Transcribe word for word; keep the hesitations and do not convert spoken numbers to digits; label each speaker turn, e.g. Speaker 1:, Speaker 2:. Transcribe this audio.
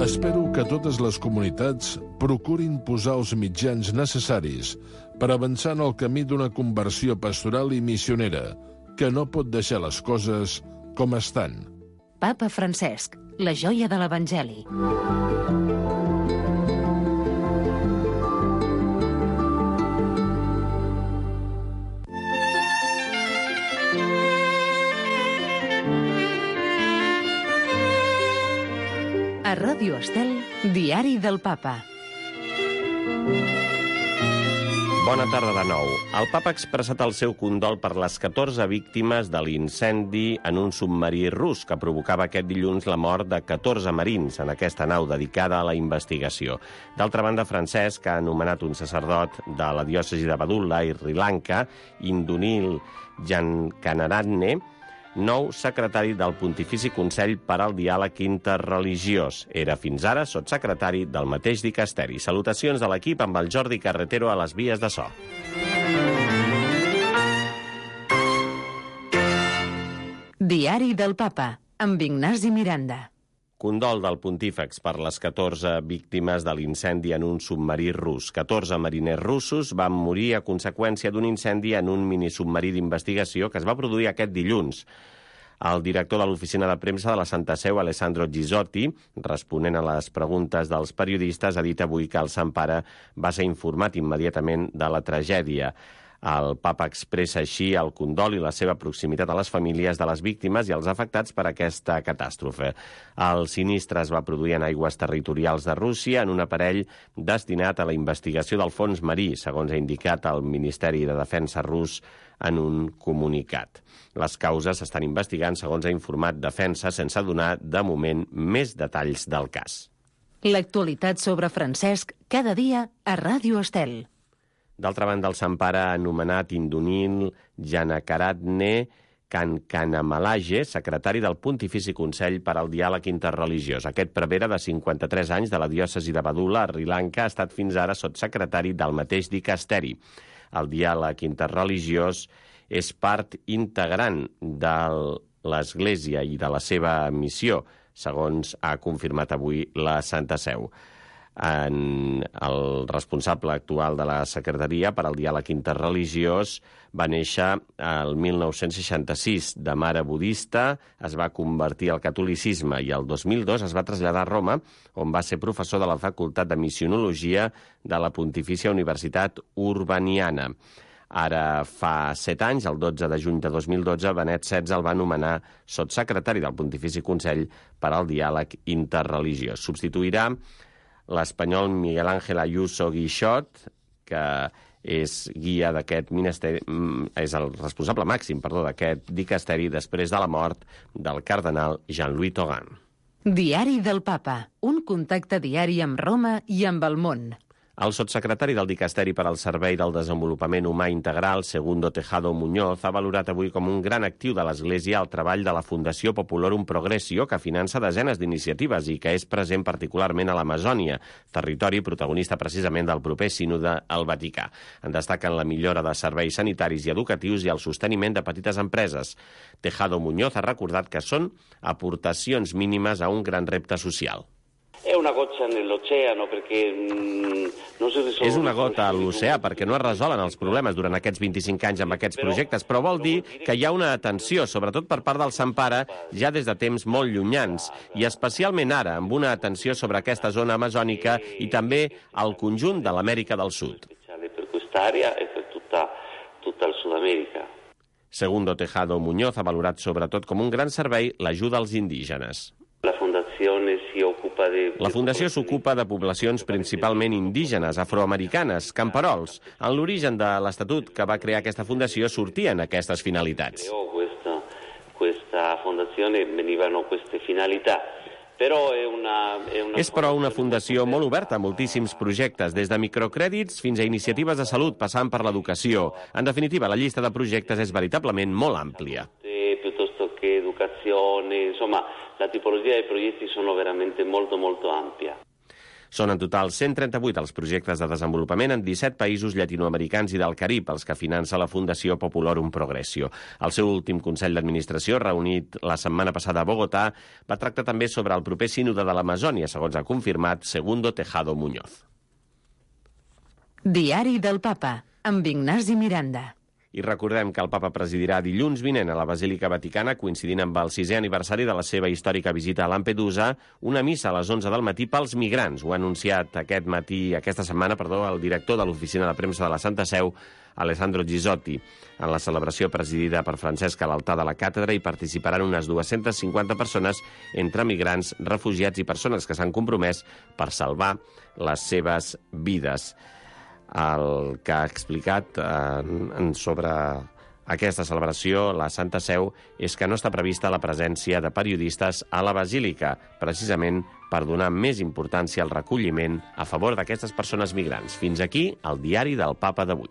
Speaker 1: Espero que totes les comunitats procurin posar els mitjans necessaris per avançar en el camí d'una conversió pastoral i missionera, que no pot deixar les coses com estan.
Speaker 2: Papa Francesc, la joia de l'Evangeli. A Ràdio Estel, Diari del Papa.
Speaker 3: Bona tarda de nou. El Papa ha expressat el seu condol per les catorze víctimes de l'incendi en un submarí rus que provocava aquest dilluns la mort de catorze marins en aquesta nau dedicada a la investigació. D'altra banda, Francesc ha anomenat un sacerdot de la diòcesi de Badulla i Sri Lanka, Indunil Jankanaratne, nou secretari del Pontifici Consell per al Diàleg Interreligiós. Era fins ara sotssecretari del mateix dicasteri. Salutacions de l'equip amb el Jordi Carretero a les vies de so.
Speaker 2: Diari del Papa, amb Ignasi Miranda.
Speaker 3: Condol del pontífex per les catorze víctimes de l'incendi en un submarí rus. catorze mariners russos van morir a conseqüència d'un incendi en un minisubmarí d'investigació que es va produir aquest dilluns. El director de l'oficina de premsa de la Santa Seu, Alessandro Gisotti, responent a les preguntes dels periodistes, ha dit avui que el Sant Pare va ser informat immediatament de la tragèdia. El papa expressa així el condol i la seva proximitat a les famílies de les víctimes i els afectats per aquesta catàstrofe. El sinistre es va produir en aigües territorials de Rússia en un aparell destinat a la investigació del fons marí, segons ha indicat el Ministeri de Defensa rus en un comunicat. Les causes s'estan investigant, segons ha informat Defensa, sense donar, de moment, més detalls del cas.
Speaker 2: L'actualitat sobre Francesc, cada dia a Ràdio Estel.
Speaker 3: D'altra banda, el Sant Pare ha anomenat Indunil Jankanaratne Kankanamalaje, secretari del Pontifici Consell per al Diàleg Interreligiós. Aquest prevere de cinquanta-tres anys de la diòcesi de Badulla, a Sri Lanka, ha estat fins ara sotssecretari del mateix dicasteri. El diàleg interreligiós és part integrant de l'Església i de la seva missió, segons ha confirmat avui la Santa Seu. En el responsable actual de la Secretaria per al Diàleg Interreligiós va néixer el mil nou-cents seixanta-sis. De mare budista, es va convertir al catolicisme i el dos mil dos es va traslladar a Roma, on va ser professor de la Facultat de Missionologia de la Pontifícia Universitat Urbaniana. Ara fa set anys, el dotze de juny de dos mil dotze, Benet setze el va nomenar sotssecretari del Pontifici Consell per al Diàleg Interreligiós. Substituirà l'espanyol Miguel Ángel Ayuso Guixot, que és guia d'aquest ministeri, és el responsable màxim, perdó, d'aquest dicasteri després de la mort del cardenal Jean-Louis Tauran.
Speaker 2: Diari del Papa, un contacte diari amb Roma i amb el món.
Speaker 3: El sotssecretari del Dicasteri per al Servei del Desenvolupament Humà Integral, Segundo Tejado Muñoz, ha valorat avui com un gran actiu de l'Església el treball de la Fundació Populorum Progressio, que finança desenes d'iniciatives i que és present particularment a l'Amazònia, territori protagonista precisament del proper sínode al Vaticà. En destaquen la millora de serveis sanitaris i educatius i el sosteniment de petites empreses. Tejado Muñoz ha recordat que són aportacions mínimes a un gran repte social.
Speaker 4: È una goccia nell'oceano perché mm, non si risolve...
Speaker 3: És una gota a l'oceà perquè no es resolen els problemes durant aquests vint-i-cinc anys amb aquests projectes, però vol dir que hi ha una atenció, sobretot per part del Sant Pare, ja des de temps molt llunyans, i especialment ara, amb una atenció sobre aquesta zona amazònica i també al conjunt de l'Amèrica del Sud.
Speaker 4: Per quest'àrea e per tutta, tutta il Sud Amèrica.
Speaker 3: Segundo Tejado Muñoz ha valorat sobretot com un gran servei l'ajuda als indígenes.
Speaker 4: La Fundazione si occupa de...
Speaker 3: La Fundació s'ocupa de poblacions principalment indígenes, afroamericanes, camperols. En l'origen de l'Estatut que va crear aquesta fundació sortien aquestes finalitats.
Speaker 4: Questa, questa fondazione venivano queste finalità. Però è una, è una
Speaker 3: és però una fundació molt oberta a moltíssims projectes, des de microcrèdits fins a iniciatives de salut, passant per l'educació. En definitiva, la llista de projectes és veritablement molt àmplia.
Speaker 4: Piuttosto che educazione, insomma, la tipologia dei progetti sono veramente molto molto ampia.
Speaker 3: Són en total cent trenta-vuit els projectes de desenvolupament en disset països llatinoamericans i del Carib, els que finança la Fundació Populorum Progressio. El seu últim Consell d'Administració, reunit la setmana passada a Bogotà, va tractar també sobre el proper sínode de l'Amazònia, segons ha confirmat Segundo Tejado Muñoz.
Speaker 2: Diari del Papa, amb Ignasi Miranda.
Speaker 3: I recordem que el papa presidirà dilluns vinent a la Basílica Vaticana, coincidint amb el sisè aniversari de la seva històrica visita a Lampedusa, una missa a les onze del matí pels migrants. Ho ha anunciat aquest matí, aquesta setmana, perdó, el director de l'Oficina de Premsa de la Santa Seu, Alessandro Gisotti. En la celebració presidida per Francesc a l'altar de la càtedra hi participaran unes dues-centes cinquanta persones entre migrants, refugiats i persones que s'han compromès per salvar les seves vides. El que ha explicat eh, sobre aquesta celebració, la Santa Seu, és que no està prevista la presència de periodistes a la Basílica, precisament per donar més importància al recolliment a favor d'aquestes persones migrants. Fins aquí el diari del Papa d'avui.